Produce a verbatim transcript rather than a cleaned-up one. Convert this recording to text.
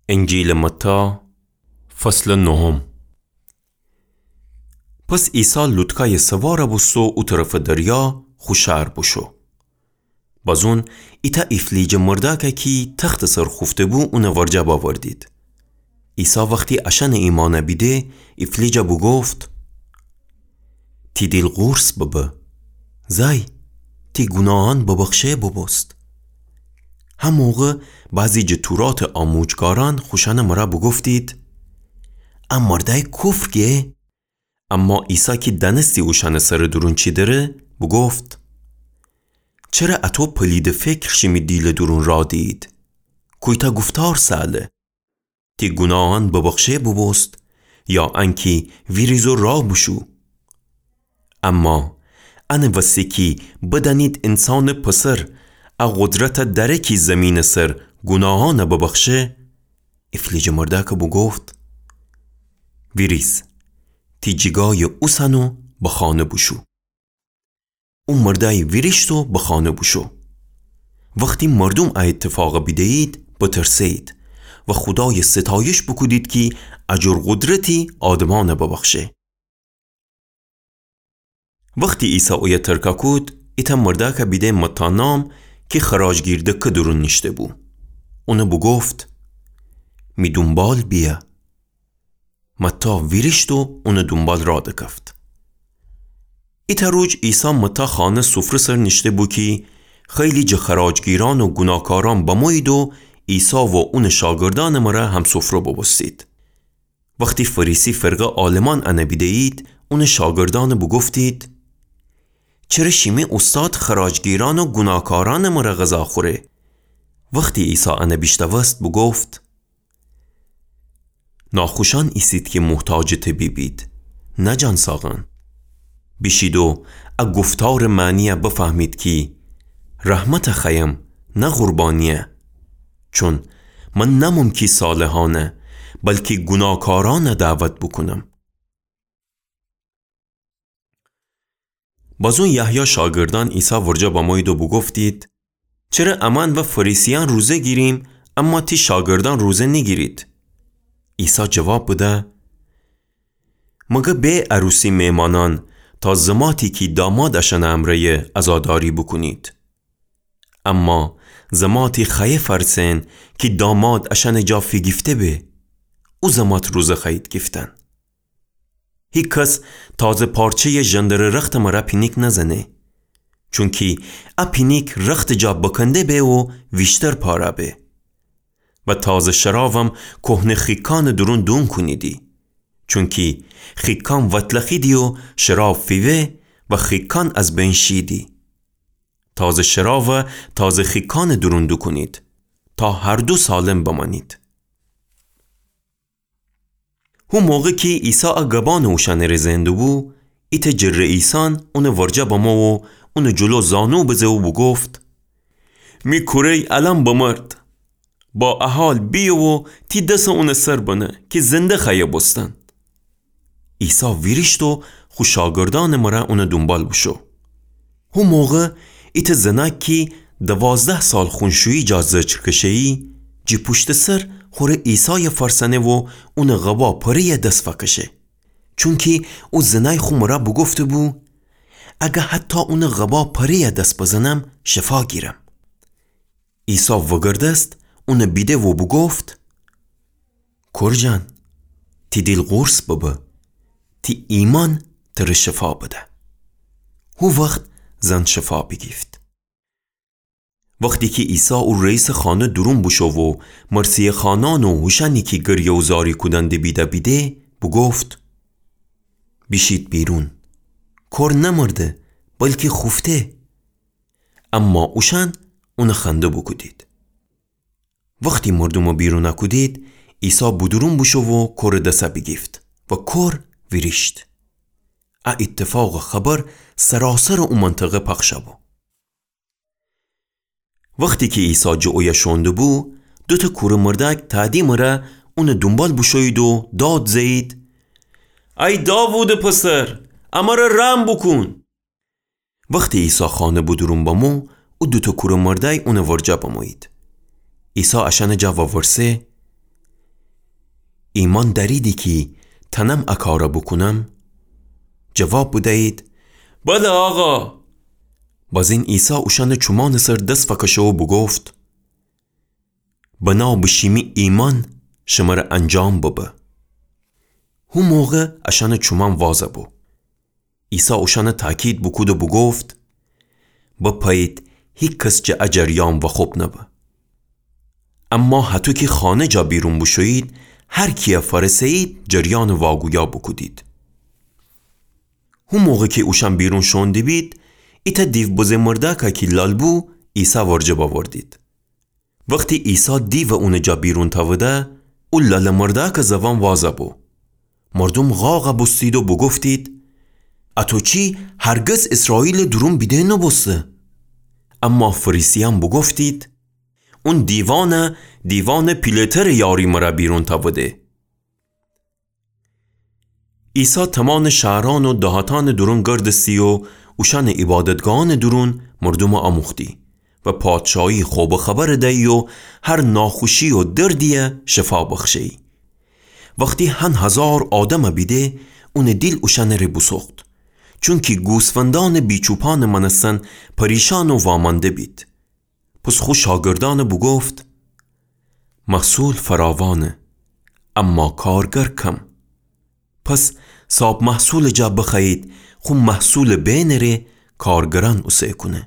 انجیلٚ متی، فصلٚ نهم. پس عیسی لوطکایٚ سوار بوستو او طرفٚ دریا خو شهر بوشو. بازون ایتأ ایفلیجٚ مردأکَ کی تختٚ سر خوفته‌بو اونٚ ورجه بأوردید. عیسی وختی اشأنٚ ایمأنَ بیده، ایفلیجَ بوگفت: تی دیل قورص ببه. زأی، تی گوناهأن ببخشه بوبوست. هموقع بعضی جٚه توراتٚ آموجگارأن خوشأنٚ مرأ بوگفتید: ا مردأی کفر گه؟ اما عیسی کی دأنستی اوشأنٚ سرٚ دورون چی دره، بوگفت: چره اَتو پلیدٚ فکر شیمی دیلٚ دورون راه دیید؟ کویتأ گفتار سأله: تی گوناهأن ببخشه بوبوست، یا انکی ویریز و راه بوشو؟ اما انٚ وستی کی بدأنید اینسانٚ پسر ا قدرتَ دأره کی زیمینٚ سر گوناهأنَ ببخشه، ایفلیجٚ مردأکَ بوگفت: ویریز، تی جیگایَ اوسن و به خانه بوشو. او مردأی ویریشت و به خانه بوشو. وختی مردوم ا ایتفاقَ بیده‌یید، بترسه‌یید و خودایَ ستایش بوکودید کی ا جور قدرتی آدمأنَ ببخشه. وختی عیسی اویه ترکَ کود، ایتأ مردأکَ بیده متی نام کی خراجگیر دکه دورون نیشته‌بو. اونَ بوگفت: می دونبال بیأ. متی ویریشت و اونٚ دونبال راه دکفت. ایتأ روج عیسی متی خانه سفره سر نیشته‌بو کی خیلی جٚه خراجگیرأن و گوناکارأن بمویید و عیسی و اونٚ شاگردأنٚ مرأ همسفره بوبوستید. وختی فریسی فرقه عالمأن انَ بیده‌یید، اونٚ شاگردأنَ بوگفتید: چره شیمی اوستاد خراجگیرأن و گوناکارأنٚ مرأ غذا خوره؟ وختی عیسی انَ بیشنوست بوگفت: ناخوشأن ایسید کی محتاجٚ طبیبید، نه جانساقأن. بیشید و ا گفتارٚ معنیَ بفهمید کی رحمتَ خوأیم، نه قربانیَ. چون من نأموم کی صالحأنَ، بلکی گوناکارأنَ دعوت بوکونم. بازون یحیی شاگردأن عیسی ورجه بمویید و بوگفتید: چره امأن و فریسیأن روزه گیریم، اما تی شاگردأن روزه نیگیرید؟ عیسی جواب بده: مگر به عروسی مهمانأن تا زماتی کی داماد اشأنٚ امرأیه عزاداری بوکونید؟ اما زماتی خوأیه فأرسن کی داماد اشأنٚ جا فیگیفته به، او زمات روزه خوأیید گیفتن. هیکس تازه پارچه‌یَ ژندرٚ رختٚ مرأ پینیک نزنه، چونکی ا پینیک رختٚ جا بکنده به و ویشتر پاره به. و تازه شرابم کهنه خیکأنٚ دورون دون کونیدی، چونکی خیکأن وتلخیدی و شراب فیوه و خیکأن از بین شیدی. تازه شرابَ تازه خیکأنٚ دورون دوکونید، تا هر دو سالم بمأنید. هو موقع کی عیسی ا گبأنَ اوشأنٚ ره زئندوبو، ایتأ جٚه رئیسأن اونٚ ورجه بمو و اونٚ جلو زانو بزه و بوگفت: می کوره‌ی الأن بمرد، با ا حال بیه و تی دسَ اونٚ سر بنه کی زنده خوأیه بوستن. عیسی ویریشت و خو شاگردأنٚ مرأ اونٚ دونبال بوشو. هو موقع ایتأ زنأک کی دوازده سال خونشویی جا زجر کشه‌یی، جٚه پوشتٚ سر خوره عیسایَ فأرسأنه و اونٚ قبا پره‌یَ دس فأکشه. چونکی او زنأی خو مرأ بوگفته‌بو: اگر حتی اونٚ قبا پره‌یَ دس بزنم، شفا گیرم. عیسی وگردست، اونَ بیده و بوگفت: کور جان، تی دیل قورص ببه، تی ایمأن ترَ شفا بده. هو وخت زن شفا بیگیفت. وختی کی عیسی او رئیسٚ خانه دورون بوشو و مرثیه‌خوأنأن و اوشأنی کی گریه و زاری کودن دبیده بیده، بوگفت: بیشید بیرون، کور نمرده، بلکی خوفته. اما اوشأن اونَ خنده بوکودید. وختی مردومَ بیرونَ کودید، عیسی بودورون بوشو و کورٚ دسَ بیگیفت و کور ویریشت. ا ایتفاقٚ خبر سراسرٚ او منطقه پخشَ بو. وختی کی عیسی جٚه اویه شوئون دوبو، دوتأ کورٚ مردأک تأدیمٚ ره اونٚ دونبال بوشویید و داد زه‌یید: ای داوودٚ پسر، امرَ رحم بوکون! وختی عیسی خانه بودورون بمو، او دوتأ کورٚ مردأی اونٚ ورجه بمویید. عیسی اشأنٚ جا وورسه: ایمأن دأریدی کی تأنم ا کارَ بوکونم؟ جواب بدیید: بله، آقا. بازین عیسی اوشأنٚ چومأنٚ سر دس فأکشه و بوگفت: بنا به شیمی ایمأن شمره انجام ببه. هو موقع اشأنٚ چومأن وازَ بو. عیسی اوشأنَ تأکید بوکود و بوگفت: بپأیید هیکس جٚه ا جریان وخوب نبه. اما هطو کی خانه جا بیرون بوشویید، هر کیَ فأرسه‌یید جریانٚ واگویا بوکودید. هو موقع کی اوشأن بیرون شوئون دیبید، ایتأ دیوبزه مردأکَ کی لال بو، عیسی ورجه بأوردید. وختی عیسی دیوَ اونٚ جا بیرون تأوده، او لالٚ مردأکٚ زوأن وازَ بو. مردوم غاغَ بوستید و بوگفتید: اطو چی هرگز ایسرائیلٚ دورون بیده نوبوسته. اما فریسیأن بوگفتید: اون دیوأنَ، دیوأنٚ پیله‌ترٚ یاری مره بیرون تأوده. عیسی تمأنٚ شهرأن و دهاتأنٚ دورون گردستی و اوشأنٚ عیبادتگاهأنٚ دورون مردومَ آموختی و پادشاهی خوبٚ خبرَ دیی و هر ناخوشی و دردیَ شفا بخشه‌یی. وختی هن هزار آدمَ بیده، اونٚ دیل اوشأنٚ ره بوسوخت، چونکی گوسفندأنٚ بیچوپأنٚ مأنستن پریشأن و وامأنده بید. پس خو شاگردأنَ بوگفت: محصول فراوانه، اما کارگر کم. پس صاب محصولٚ جا بخوأیید خو محصولٚ بینٚ ره کارگرأن اوسه کونه.